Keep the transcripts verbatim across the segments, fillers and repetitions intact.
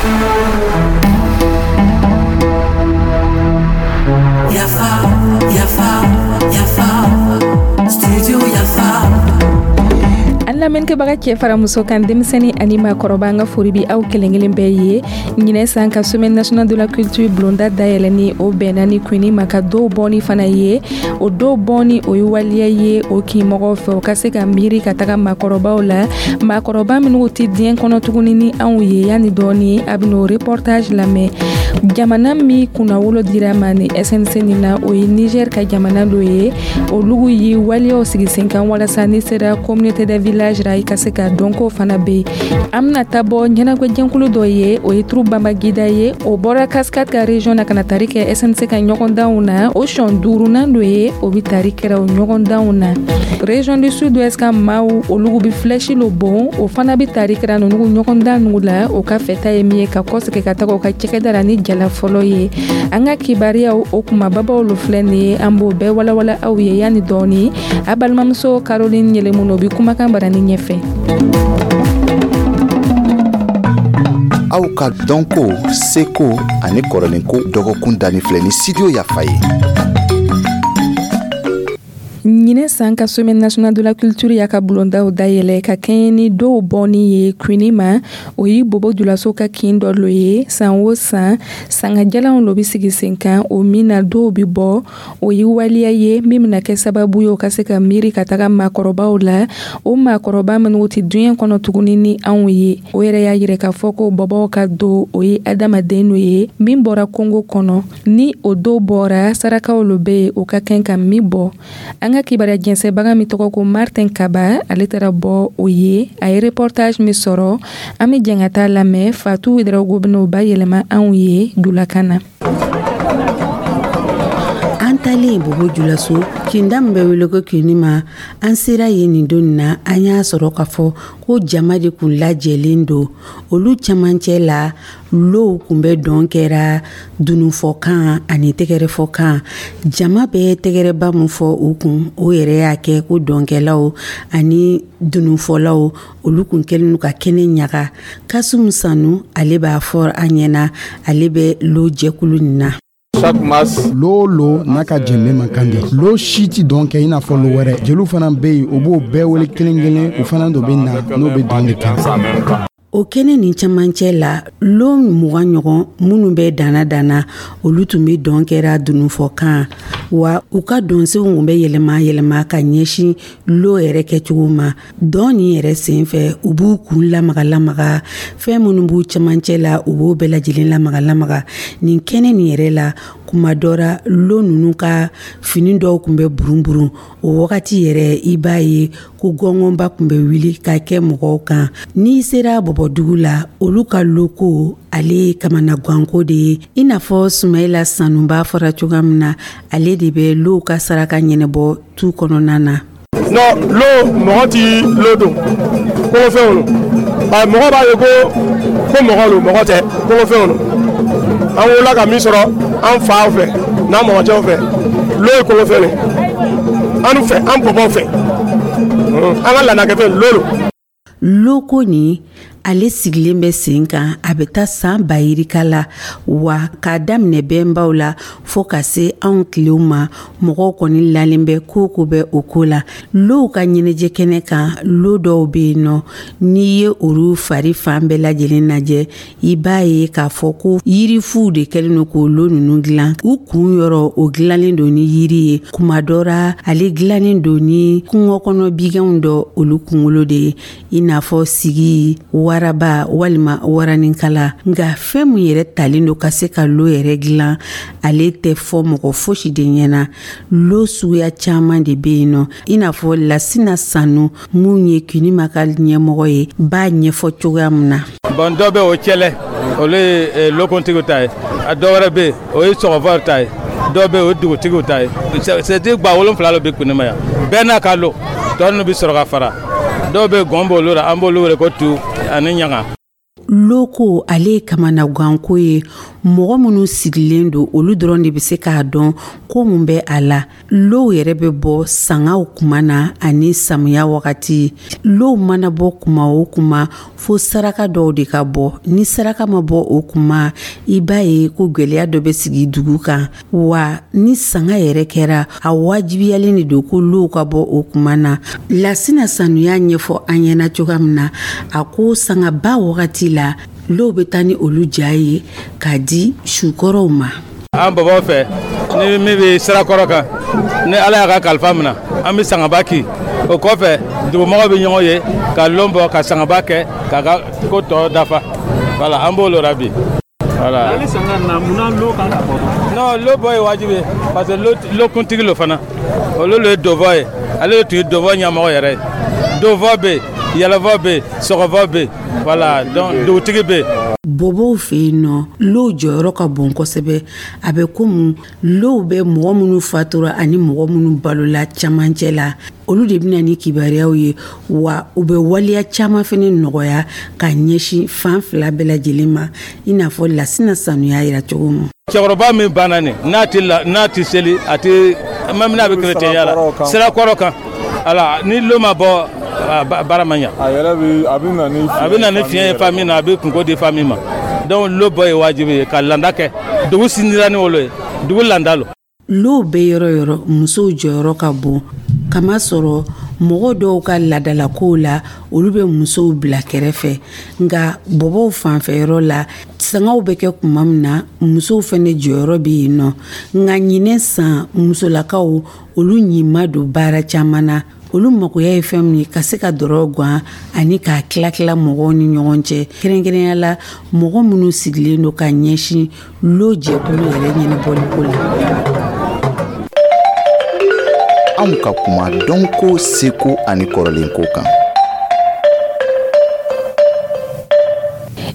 Yafa, Yafa, Yafa, Studio Yafa. An lamɛnnikɛbaga, cɛ fara muso kan, denmisɛnnin ani maakɔrɔba, an ka foli bi aw kelen kelen bɛɛ ye. Ɲinɛ san ka Semaine nationale de la culture bulonda dayɛlɛni, o bɛnna ni Quinima ka dɔw bɔni fana ye. O dɔw bɔni, o ye waliya ye o kinmɔgɔw fɛ, o ka se ka miiri ka taga maakɔrɔbaw la, maakɔrɔba minnu tɛ diɲɛ kɔnɔ tuguni ni anw ye. Yanni dɔɔni, a bɛn'o reportage lamɛn. Jamana min kunnawolo dira ma ni S N C nin na, o ye Niger ka jamana dɔ ye. Olugu ye waleyaw sigi sen kan walasa ni sera communauté de village ra, i ka se ka dɔnko fana bɛ yen. An bɛna taa bɔ ɲɛnajɛjɛkulu dɔ ye, o ye troupe Bambagida ye. O bɔra Cascade ka région na ka na tari kɛ S N C ka ɲɔgɔndanw na. O sɔn duurunan dɔ ye, o bɛ tari kɛra o ɲɔgɔndanw na. Région du Sud Ouest ka maaw, olugu bɛ flèche lo bon, o fana bɛ tari kɛra ninnu ɲɔgɔndan ninnu la. O ka fɛta ye min ye, ka kɔsegin ka taga o ka cɛkɛda la ni jala fɔlɔ ye. An ka kibariyaw, o kumababaw lo filɛ nin ye, an b'o bɛɛ walawala aw ye yanni dɔɔni. A balimamuso Caroline Yɛlɛmun, o bɛ kumakan barani ɲɛfɛ. Aw ka dɔnko, seko ani kɔrɔlenko dɔgɔkun danni filɛ ni Studio Yafa ye. Ɲinɛ san ka Semaine nationale de la culture y'a ka bulondaw dayɛlɛ ka kɛɲɛ ni dɔw bɔnni ye Quinima. O ye Bobo Julaso ka kin dɔ lo ye. San o san, sangajalanw lo bɛ sigi sen kan, o min na dɔw bɛ bɔ. O ye waleya ye min bɛna kɛ sababu ye, o ka se ka miiri ka taga maakɔrɔbaw la, o maakɔrɔba minnu tɛ diɲɛ kɔnɔ tuguni ni anw ye. O yɛrɛ y'a yira k'a fɔ ko bɔbɔw ka do, o ye adamaden dɔ ye min bɔra kongo kɔnɔ. Ni o dɔw bɔra, sarakaw lo bɛ yen, o ka kan ka min bɔ. An ka kibaruya jɛnsɛbaga min tɔgɔ ko Martin Kaba, ale taara bɔ o ye. A ye reportage min sɔrɔ, an bɛ jɛn ka taa lamɛn. Fatu Ouédraogo bɛn'o bayɛlɛma anw ye julakan na. An talen Bobo Julaso, kinda min bɛ wele ko Kinima, an sera yen nin don na, an y'a sɔrɔ k'a fɔ ko jama de kun lajɛlen don. Olu camancɛ la, low kun bɛ dɔn kɛra dununfɔkan ani tɛgɛrɛfɔkan. Jama bɛ tɛgɛrɛba min fɔ u kun, o yɛrɛ y'a kɛ ko dɔnkɛlaw ani dununfɔlaw, olu kun kɛlen ka kɛnɛ ɲaga. Kasum Sanu, ale b'a fɔ an ɲɛna, ale bɛ lo jɛkulu nin na. Lo lo n'a ka jɛnbe man kan de, lo si ti dɔn kɛ i n'a fɔ lo wɛrɛ. Jeliw fana bɛ yen, o b'o bɛɛ wele kelen kelen, o fana dɔ bɛ na n'o bɛ dɔn de kɛ. O kɛnɛ nin camancɛ la, lo mugan ɲɔgɔn minnu bɛ danna danna, olu tun bɛ dɔn kɛra dununfɔkan wa. U ka dɔnsenw kun bɛ yɛlɛma yɛlɛma ka ɲɛsin lo yɛrɛ kɛcogo ma. Dɔn nin yɛrɛ sen fɛ, u b'u kun lamaga lamaga, fɛn minnu b'u camancɛ la, u b'o bɛɛ lajɛlen lamaga lamaga nin kɛnɛ nin yɛrɛ la. Kuma dɔ ra, lo ninnu ka fini dɔw kun bɛ burun burun. O wagati yɛrɛ, i b'a ye ko gɔngɔnba kun bɛ wuli ka kɛ mɔgɔw kan. N'i sera Bɔbɔdugu la, olu ka loko, ale ye kamanaganko de ye. I n'a fɔ Sumayila Sanuba fɔra cogoya min na, ale de bɛ low ka saraka ɲɛnɛbɔ tu kɔnɔna na. Non, lo, mɔgɔ ti lo don kɔngɔfɛnw lo. Mɔgɔ b'a ye ko ko mɔgɔ lo, mɔgɔ tɛ, kɔngɔfɛnw lo. An wolola ka min sɔrɔ an faw fɛ n'an mɔgɔcɛw fɛ, lo ye kɔngɔfɛn de an fɛ, an bɔbɔw fɛ, an ka laadakɛfɛn lo lo. Loko nin, ale sigilen bɛ sen kan, a bɛ taa san ba yirika la wa. K'a daminɛ bɛnbaw la fɔɔ ka se anw tilew ma, mɔgɔw kɔni lalen bɛ ko ko bɛ o ko la. Low ka ɲɛnajɛ kɛnɛ kan, lo dɔw bɛ yen nɔ, n'i ye olu fari fan bɛɛ lajɛlen lajɛ, i b'a ye k'a fɔ ko yirifuw de kɛlen don k'o lo ninnu dilan. U kun yɔrɔ, o dilanlen don ni yiri ye. Kuma dɔ ra, ale dilannen don ni kungo kɔnɔ biganw dɔ olu kunkolo de ye, i n'a fɔ sigi, waraba walima waranikala. Nka fɛn min yɛrɛ talen don ka se ka lo yɛrɛ dilan, ale tɛ fɔ mɔgɔ fosi de ɲɛna. Lo suguya caman de bɛ yen nɔ, i n'a fɔ Lasina Sanu, mun ye Kinima ka ɲɛmɔgɔ ye, b'a ɲɛfɔ cogoya min na. Bon, dɔ bɛ o cɛlɛ, olu ye lokuntigiw ta ye. A dɔ wɛrɛ bɛ yen, o ye sɔgɔfɔw ta ye. Dɔw bɛ yen, o ye dugutigiw ta ye. C'est gba wolonfila lo bɛ Kunima yan, bɛɛ n'a ka lo. Tɔ ninnu bɛ sɔrɔ ka fara. Dɔw bɛ gɔn b'olu la, an b'olu wele ko tu ani ɲaga. Loko, ale ye kamanaganko ye. Mɔgɔ minnu sigilen don, olu dɔrɔn de bɛ se k'a dɔn ko mun bɛ a la. Low yɛrɛ bɛ bɔ sangaw kuma na ani samiya wagati. Low mana bɔ kuma o kuma, fo saraka dɔw de ka bɔ. Ni saraka ma bɔ o kuma, i b'a ye ko gwɛlɛya dɔ bɛ sigi dugu kan. Wa ni sanga yɛrɛ kɛra, a wajibiyalen de don ko low ka bɔ o kuma na. Lasina Sanuya ɲɛfɔ an ɲɛna cogoya min na, a ko sangaba wagati la, low bɛ taa ni olu ja ye k'a di sukɔrɔw ma. An babaw fɛ, ni min bɛ sirakɔrɔ kan, ni Ala y'a ka kalifa minɛ, an bɛ sangaba ki. O kɔfɛ, dugumɔgɔw bɛ ɲɔgɔn ye ka lon bɔ, ka sangaba kɛ k'a ka ko tɔ dafa. Voilà, an b'o la bi, voilà. Non, lo bɔ ye wajibi ye, parce que lo kuntigi lo fana, olu le ye dofɔ ye. Ale de tun ye dofɔ ɲɛmɔgɔ yɛrɛ ye. Dofɔ bɛ yen, yɛlɛfɔ bɛ yen, sɔgɔfɔ bɛ yen, voilà. Donc dugutigi bɛ yen. Bɔbɔw fɛ yen nɔ, low jɔyɔrɔ ka bon kosɛbɛ. A bɛ komi low bɛ mɔgɔ minnu fatura ani mɔgɔ minnu balola camancɛ la, olu de bɛna ni kibaruyaw ye. Wa u bɛ waleya caman fɛnɛ nɔgɔya ka ɲɛsin fan fila bɛɛ lajɛlen ma, i n'a fɔ Lasina Sanuya yira cogo min. Cɛkɔrɔba min banna nin, n'a ti la, n'a ti seli, a ti même n'a bɛ kerecɛnya la, sirakɔrɔ kan ala, ni lo ma bɔ, baara ma ɲa. A yɛrɛ bɛ, a bɛ na ni a bɛ na ni fiɲɛ ye famille na, a bɛ kungo di famille ma. Donc lo bɔ ye wajibi ye ka landa kɛ. Dugu sindira ni olu ye, dugu landa lo. Low bɛ yɔrɔ yɔrɔ, musow jɔyɔrɔ ka bon, kamasɔrɔ mɔgɔ dɔw ka ladalakow la, olu bɛ musow bila kɛrɛfɛ. Nka bɔbɔw fanfɛyɔrɔ la, sangaw bɛ kɛ kuma min na, musow fɛnɛ jɔyɔrɔ bɛ yen nɔ. Nka ɲinɛ san, musolakaw olu ɲin don baara caman na. Olu makoya ye fɛn min ye, ka se ka dɔrɔ gan ani k'a tila tila mɔgɔw ni ɲɔgɔn cɛ, kɛrɛnkɛrɛnya la mɔgɔ minnu sigilen don ka ɲɛsin lo jɛkulu yɛrɛ ɲɛnabɔliko la. Anw ka kuma dɔnko, seko ani kɔrɔlenko kan.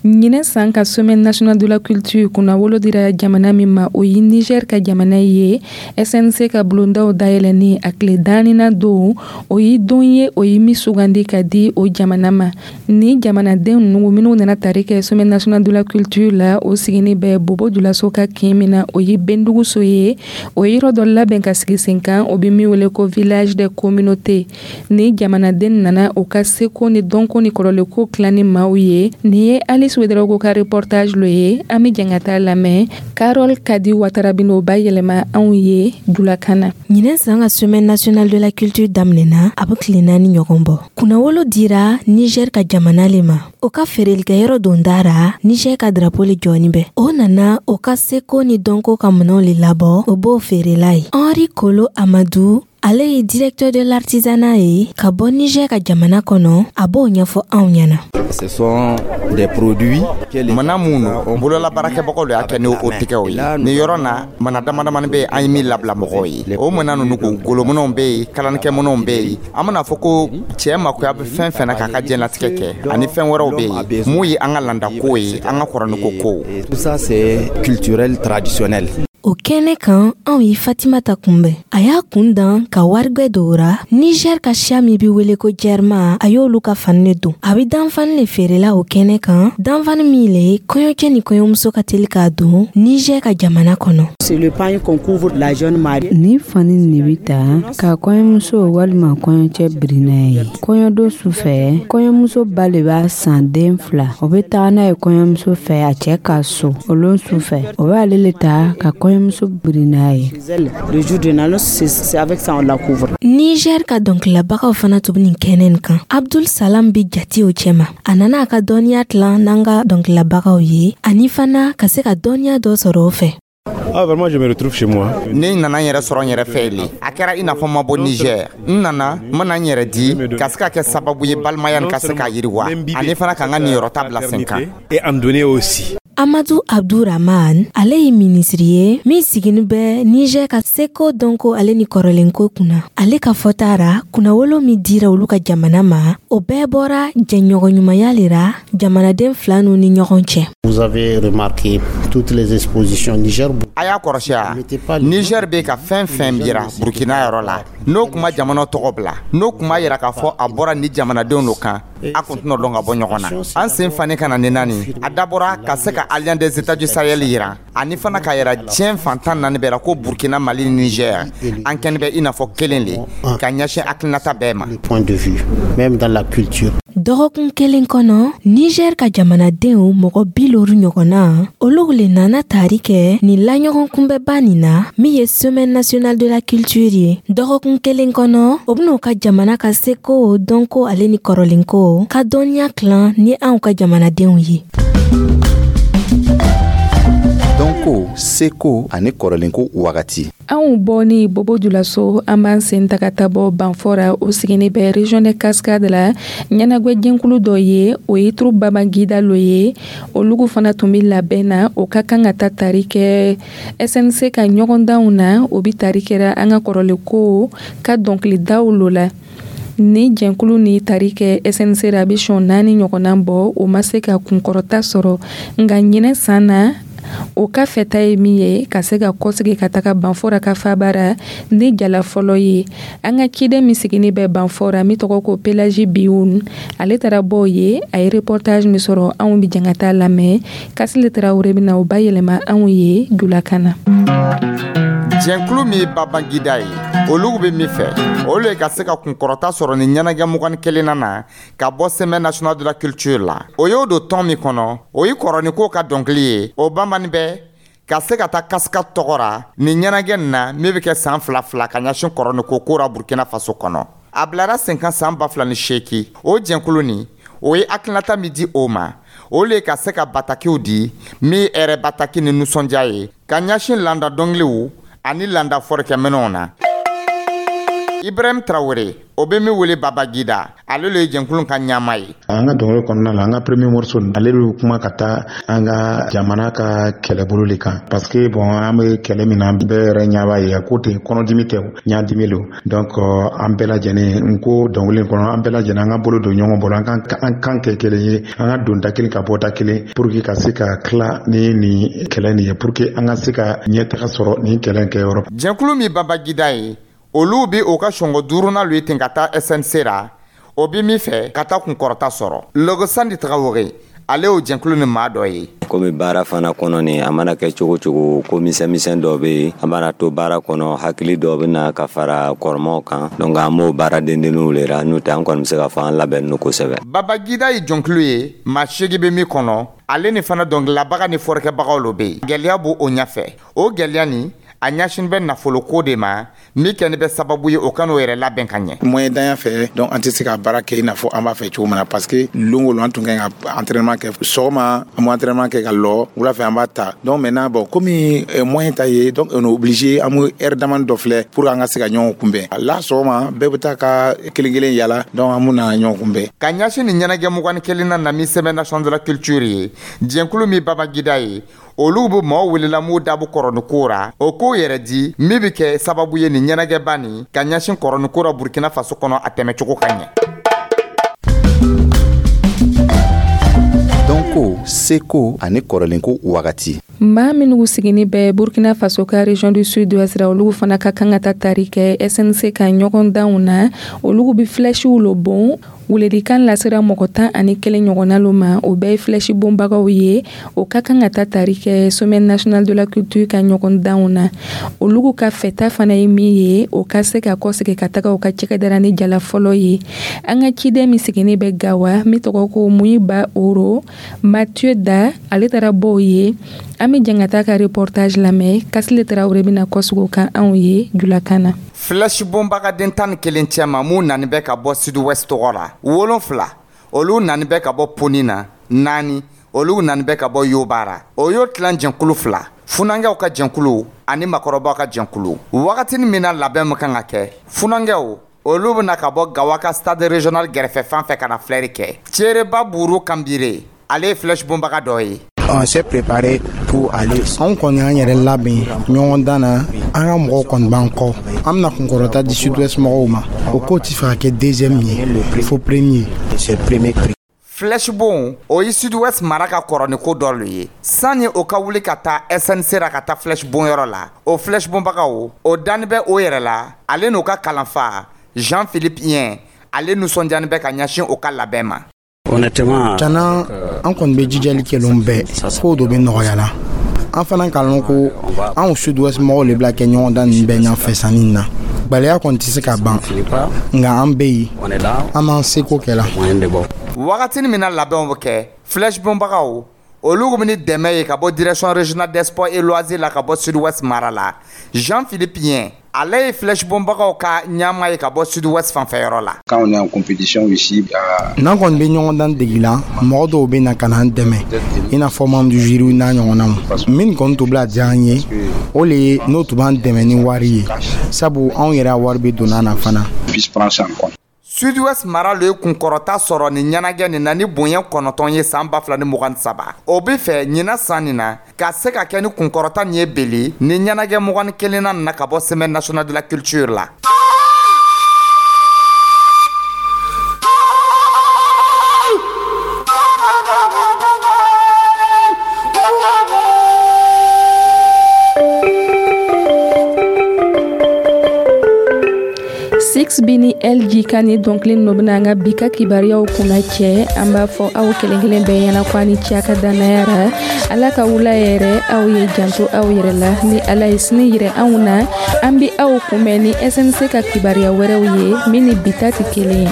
Ɲinɛ san ka Semaine nationale de la culture kunnawolo dira jamana min ma, o ye Niger ka jamana ye. S N C ka bulondaw dayɛlɛni a tile danina don, o ye don ye o ye min sugandi ka di o jamana ma. Ni jamanaden ninnu minnu nana tari kɛ Semaine nationale de la culture la, o sigini bɛ Bobo Julaso ka kin min na, o ye Benduguso ye. O ye yɔrɔ dɔ labɛn ka sigi sen kan, o bɛ min wele ko village des communautés. Ni jamanaden nana o ka seko ni dɔnko ni kɔrɔlenko tila ni maaw ye. Nin ye Alice Ouedraogo ka reportage lo ye. An bɛ jɛn ka taa lamɛn. Carole Kadi Watara bɛn'o bayɛlɛma anw ye julakan na. Ɲinɛ san ka Semaine nationale de la culture daminɛna, a bɛ tile naani ɲɔgɔn bɔ. Kunnawolo dira Niger ka jamana le ma. O ka feerelikɛyɔrɔ don dara, Niger ka drapeau le jɔni bɛ. O nana o ka seko ni dɔnko ka minɛnw le labɔ, o b'o feerela ye. Henri Kolo Amadou, ale ye directeur de l'artisanat ye ka bɔ Niger ka jamana kɔnɔ, a b'o ɲɛfɔ anw ɲɛna. Ce sont des produits. Mana mun don, bolola baarakɛbagaw de y'a kɛ ni o tɛgɛw ye. Nin yɔrɔ na, mana dama damani bɛ yen, an ye min labila mɔgɔw ye. O mana ninnu, ko golominɛw bɛ yen, kalanikɛminɛw bɛ yen, an bɛna fɔ ko cɛ makoya bɛ fɛn fɛn na k'a ka diɲɛlatigɛ kɛ, ani fɛn wɛrɛw bɛ yen mun ye an ka landako ye, an ka kɔrɔniko kow. Tout ça, c'est culturel, traditionnel. O kɛnɛ kan, anw ye Fatimata kunbɛn. A y'a kun dan ka warigwɛ dora Niger ka siya min be wele ko Jɛrma, a y'olu ka fani le don. A be danfani le feerela o kɛnɛ kan, danfani min le kɔɲɔcɛ ni kɔɲɔmuso ka teli k'a don Niger ka jamana kɔnɔ. Ni fani nin bi ta ka kɔɲɔmuso walima kɔɲɔcɛ biri n'a ye kɔɲɔdon su fɛ. Kɔɲɔmuso ba le b'a san den fila, o be taga n'a ye kɔɲɔmuso fɛ a cɛ ka so. O lon su fɛ, o b'ale le ta ka kɔɲɔmuso biri n'a ye. Niger ka dɔnkililabagaw fana tun bɛ nin kɛnɛ nin kan. Abdul Salam bi jate o cɛma. A nana a ka dɔnniya tilan n'an ka dɔnkililabagaw ye, ani fana ka se ka dɔnniya dɔ sɔrɔ o fɛ. Ah, vraiment, je me retrouve chez moi. Ne nana n yɛrɛ sɔrɔ n yɛrɛ fɛ le. A kɛra i n'a fɔ ma bɔ Niger. N nana n mana n yɛrɛ di ka se ka kɛ sababu ye balimaya nin ka se k'a yiriwa, ani fana ka n ka niyɔrɔta bila sen kan. Et en donner aussi. Amadu Abdurahman, ale ye minisiri ye min sigini bɛ Niger ka seko, dɔnko ale ni kɔrɔlenko kunna. Ale ka fɔta ra, kunnawolo min dira olu ka jamana ma, o bɛɛ bɔra jɛɲɔgɔnɲumanya le ra jamanaden fila nu ni ɲɔgɔn cɛ. Vous avez remarqué toutes les expositions Niger. A y'a kɔrɔsi a, Niger bɛ ka fɛn fɛn yira Burkina yɔrɔ la, n'o kuma jamana tɔgɔ bila, n'o kuma yira k'a fɔ a bɔra ni jamanadenw do kan, a kun tɛna dɔn ka bɔ ɲɔgɔn na. An sen fani ka na ni naani, a dabɔra ka se ka Alliance des États du Sahel yira, ani fana ka yira diɲɛ fantan naani bɛɛ la ko Burkina, Mali, Niger, an kɛni bɛ i n'a fɔ kelen le ka ɲɛsin hakilinata bɛɛ ma. Point de vue, même dans la culture. Dɔgɔkun kelen kɔnɔ, Niger ka jamanadenw mɔgɔ bi loru ɲɔgɔnna, olu le nana tari kɛ nin laɲɔgɔn kunbɛba nin na min ye Semaine nationale de la culture ye. Dɔgɔkun kelen kɔnɔ, o ben'o ka jamana ka seko, dɔnko ale ni kɔrɔlenko ka dɔnniya tilan ni anw ka jamanadenw ye. Dɔnko, seko ani kɔrɔlenko wagati. Anw bɔ ni Bobo Julaso, an b'an sen ta ka taa bɔ Banfora, o sigini bɛ région de Cascade la. Ɲɛnagwɛ jɛnkulu dɔ ye, o ye troupe Babangida lo ye. Olugu fana tun bɛ labɛn na, o ka kan ka taa tari kɛ S N C ka ɲɔgɔndanw na. O bi tari kɛra an ka kɔrɔlenko ka dɔnkilidaw lo la. Ni jɛnkulu ni tari kɛ S N C la, a bɛ sɔn naani ɲɔgɔnna bɔ, o ma se ka kunkɔrɔta sɔrɔ. Nka ɲinɛ san na, o ka fɛta ye min ye ka se ka kɔsegi ka taga Banfora ka fabara ni jala fɔlɔ ye. An ka ciden min sigini bɛ Banfora, min tɔgɔ ko Pelagi Biun, ale taara bɔ ye. A ye reportage min sɔrɔ, anw bi jɛn ka taa lamɛn. Kasile Tarawele bɛna o bayɛlɛma anw ye julakan na. Jɛnkulu min ye Babangida ye, olu bɛ min fɛ, olu ye ka se ka kunkɔrɔta sɔrɔ ni ɲɛnajɛ mugan kelenna na ka bɔ Semaine nationale de la culture la. O y'o don tɔn min kɔnɔ, o ye kɔrɔniko ka dɔnkili ye. O bamani bɛ ka se ka taa kasika tɔgɔ ra nin ɲɛnajɛ nin na min bɛ kɛ san fila fila ka ɲɛsin kɔrɔniko ko ra Burkina Faso kɔnɔ. A bilara sen kan san ba fila ni seeki. O jɛnkulu nin, o ye hakilinata min di o ma, o le ka se ka batakiw di min hɛrɛ bataki ni nisɔndiya ye ka ɲɛsin landa dɔnkiliw ani landa fɔrikɛminɛw na. Ibrahim Tarawele, o bɛ min wele Babagida, ale le ye jɛnkulu ka ɲama ye. An ka dɔnkili kɔnɔna la, an ka premier morceau, ale bɛ kuma ka taa an ka jamana ka kɛlɛbolo de kan, parce que bon, an bɛ kɛlɛ min na, bɛɛ yɛrɛ ɲɛ b'a ye ko ten, kɔnɔdimi tɛ, ɲadimi don. Donc an bɛɛ lajɛlen, n ko dɔnkili in kɔnɔ, an bɛɛ lajɛlen an ka bolo don ɲɔgɔn bolo, an ka an kan kɛ kelen ye, an ka don da kelen ka bɔ da kelen, pour que ka se ka tila ni nin kɛlɛ nin ye, pour que an ka se ka ɲɛtaga sɔrɔ nin kɛlɛ kɛyɔrɔ. Jɛnkulu min Babagida ye, olu bi o ka sɔngɔ duurunan lu ye ten ka taa S N C ra. O bi min fɛ ka taa kunkɔrɔta sɔrɔ. Lɔgɔsandi Tagawore, ale y'o jɛnkulu ni maa dɔ ye. Komi baara fana kɔnɔ nin, a mana kɛ cogo cogo, ko misɛn misɛn dɔ bɛ yen, an mana to baara kɔnɔ, hakili dɔ bɛ na ka fara kɔrɔmaw kan. Donc an b'o baara dendenninw le ra, n'o tɛ an kɔni bɛ se k'a fɔ an labɛnnen kosɛbɛ. Babagida ye jɔnkulu ye maa seegin bɛ min kɔnɔ. Ale ni fana dɔnkililabaga ni fɔrikɛbagaw lo bɛ yen. Gɛlɛya b'o o ɲɛfɛ. O gɛlɛya nin, a ɲɛsin bɛ nafoloko de ma, min kɛni bɛ sababu ye o ka n'o yɛrɛ labɛn ka ɲɛ. Moyen danya fɛ, donc an tɛ se ka baara kɛ i n'a fɔ an b'a fɛ cogo min na, parce que lon o lon an tun kan ka entraînement kɛ. Sɔgɔma an bɛ entraînement kɛ ka lɔ, wula fɛ an b'a ta. Donc maintenant, bon, komi moyen ta ye, donc on est obligé an bɛ heure damani dɔ filɛ pour an ka se ka ɲɔgɔn kunbɛn la. Sɔgɔma bɛɛ bɛ taa ka kelen kelen yala, donc an bɛna ɲɔgɔn kunbɛn. Ka ɲɛsin nin ɲɛnajɛ mugan ni kelen na min Semaine nationale de la culture ye, jɛnkulu min Babagida ye, olu bɛ maaw welela m'u dabu kɔrɔniko ra, o k'o yɛrɛ di min bɛ kɛ sababu ye nin ɲɛnajɛba nin ka ɲɛsin kɔrɔniko ra Burkina Faso kɔnɔ, a tɛmɛcogo ka ɲɛ. Dɔnko, seko ani kɔrɔlenko wagati. Maa minnu sigini bɛ Burkina Faso ka région du Sud-Ouest ra, olu fana ka kan ka taa tari kɛ S N C ka ɲɔgɔndanw na. Olu bɛ flèchew lo bon. Welelikan lasera mɔgɔ tan ani kelen ɲɔgɔnna lo ma, o bɛɛ ye flèche bonbagaw ye. O ka kan ka taa tari kɛ Semaine nationale de la culture ka ɲɔgɔndanw na. Olu ka fɛta fana ye min ye, o ka se ka kɔsegi ka taga u ka cɛkɛdara ni jala fɔlɔ ye. An ka ciden min sigini bɛ Gawa, min tɔgɔ ko Muyiba Oro Mathieu Da, ale taara bɔ o ye. An bɛ jɛn ka taa ka reportage lamɛn. Kasile Tarawele bɛna kɔsegi o kan anw ye julakan na. Flèche bonbagaden tan ni kelen cɛma, mun nani bɛ ka bɔ Sud-Ouest tɔgɔ la, wolonfila olu nani bɛ ka bɔ Poni na, naani olu nani bɛ ka bɔ Yobara. O y'o tilan jɛnkulu fila, funankɛw ka jɛnkulu ani makɔrɔbaw ka jɛnkulu. Wagatinin min na labɛn min kan ka kɛ, funankɛw olu bɛna ka bɔ Gawa ka stade régional gɛrɛfɛ fan fɛ ka na filɛri kɛ. Ceereba Buru Kanbire, ale ye flèche bonbaga dɔ ye. On s'est préparé pour aller. Anw kɔni y'an yɛrɛ labɛn ɲɔgɔndan na, an ka mɔgɔw kɔni b'an kɔ. An bɛna kunkɔrɔta di Sud-Ouest mɔgɔw ma. O ko ti fɛ ka kɛ deuxième ye, fo premier. C'est premier prix. Flèche bon, o ye Sud-Ouest mara ka kɔrɔ ko dɔ le ye. Sanni o ka wuli ka taa S N C ra ka taa flèche bon yɔrɔ la, o flèche bonbagaw, o dani bɛ o yɛrɛ la. Ale n'o ka kalanfa Jean-Philippe Yen, ale nisɔndiyani bɛ ka ɲɛsin o ka labɛn ma. Honnêtement, Cana, an kɔni bɛ jijali kɛ lon bɛɛ, kow dɔ bɛ nɔgɔya la. An fana k'a lɔn ko anw Sud-Ouest mɔgɔw le bila kɛ ɲɔgɔndan ninnu bɛɛ ɲɛfɛ sanni na. Gwɛlɛya kɔni tɛ se ka ban, nka an bɛ yen, an b'an seko kɛ la. Wagatini min na labɛnw bɛ kɛ, flèche bonbagaw olu bɛ ni dɛmɛ ye ka bɔ Direction régionale des sports et loisirs la ka bɔ Sud-Ouest mara la. Jean-Philippe Yen, ale ye flèche bonbagaw ka ɲɛmaa ye ka bɔ Sud-Ouest fanfɛyɔrɔ la. Quand on est en compétition ici, à N'an kɔni bɛ ɲɔgɔndan degi la, mɔgɔ dɔw bɛ na ka n'an dɛmɛ, i n'a fɔ membre du jury n'a ɲɔgɔnnaw. Min kɔni tun bila diya an ye, o le ye n'o tun b'an dɛmɛ ni wari ye, sabu anw yɛrɛ ka wari bɛ donna na fana. Puisse prendre ça en compte. Sud-Ouest mara lo ye kunkɔrɔta sɔrɔ ni ɲɛnajɛ nin na ni bonya kɔnɔntɔn ye san ba fila ni mugan ni saba. O be fɛ ɲina san nin na ka se ka kɛ ni kunkɔrɔta nin ye beli ni ɲɛnajɛ mugan ni kelenna nin na ka bɔ Semaine nationale de la culture la. Six B ni L G ka ni dɔnkili ninnu bɛna an ka bi ka kibaruyaw kunna cɛ. An b'a fɔ aw kelen kelen bɛɛ ɲɛna ko a ni ce a ka dannaya ra. Ala ka wula yɛrɛ aw ye, janto aw yɛrɛ la. Ni Ala ye sini yirɛ anw na, an bi aw kunbɛn ni S N C ka kibaruya wɛrɛw ye min ni bi ta tɛ kelen ye.